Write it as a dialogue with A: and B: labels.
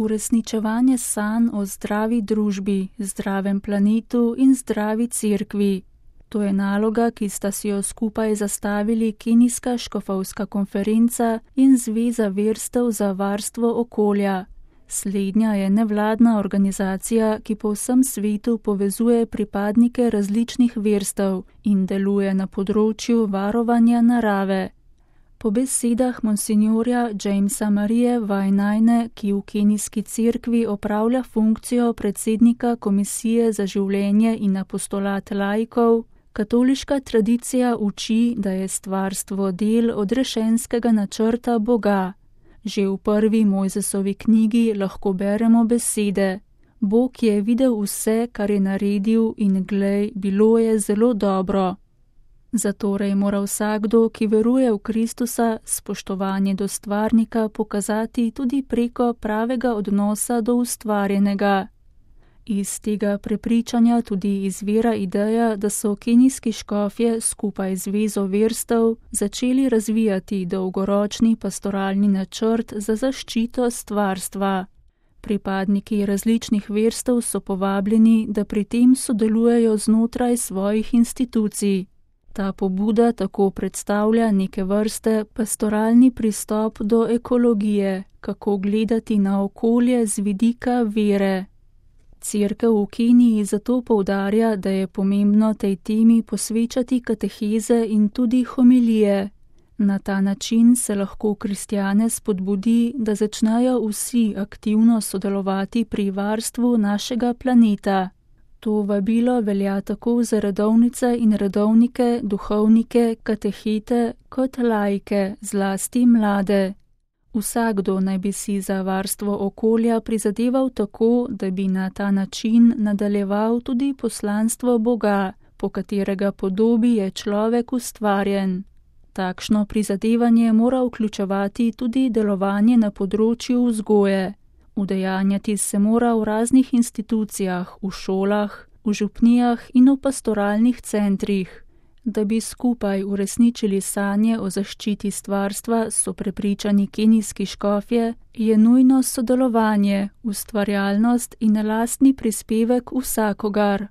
A: uresničevanje sanj o zdravi družbi, zdravem planetu in zdravi cerkvi. To je naloga, ki sta si jo skupaj zastavili Kenijska škofovska konferenca in Zveza verstev za varstvo okolja. Slednja je nevladna organizacija, ki po vsem svetu povezuje pripadnike različnih verstev in deluje na področju varovanja narave. Po besedah monsinjorja Jamesa Marije Wainaine, ki v kenijski cerkvi opravlja funkcijo predsednika Komisije za življenje in apostolat laikov, katoliška tradicija uči, da je stvarstvo del odrešenskega načrta Boga. Že v prvi Mojzesovi knjigi lahko beremo besede: Bog je videl vse, kar je naredil, in glej, bilo je zelo dobro. Zatorej mora vsakdo, ki veruje v Kristusa, spoštovanje do stvarnika pokazati tudi preko pravega odnosa do ustvarjenega. Iz tega prepričanja tudi izvira ideja, da so kenijski škofje skupaj z Zvezo verstev začeli razvijati dolgoročni pastoralni načrt za zaščito stvarstva. Pripadniki različnih verstev so povabljeni, da pri tem sodelujejo znotraj svojih institucij. Ta pobuda tako predstavlja neke vrste pastoralni pristop do ekologije, kako gledati na okolje z vidika vere. Cerkev v Keniji zato poudarja, da je pomembno tej temi posvečati kateheze in tudi homilije. Na ta način se lahko kristjane spodbudi, da začnejo vsi aktivno sodelovati pri varstvu našega planeta. To vabilo velja tako za redovnice in redovnike, duhovnike, katehete kot laike, zlasti mlade. Vsakdo naj bi si za varstvo okolja prizadeval tako, da bi na ta način nadaljeval tudi poslanstvo Boga, po katerega podobi je človek ustvarjen. Takšno prizadevanje mora vključevati tudi delovanje na področju vzgoje. Udejanjati se mora v raznih institucijah, v šolah, v župnijah in v pastoralnih centrih. Da bi skupaj uresničili sanje o zaščiti stvarstva, so prepričani kenijski škofje, je nujno sodelovanje, ustvarjalnost in lastni prispevek vsakogar.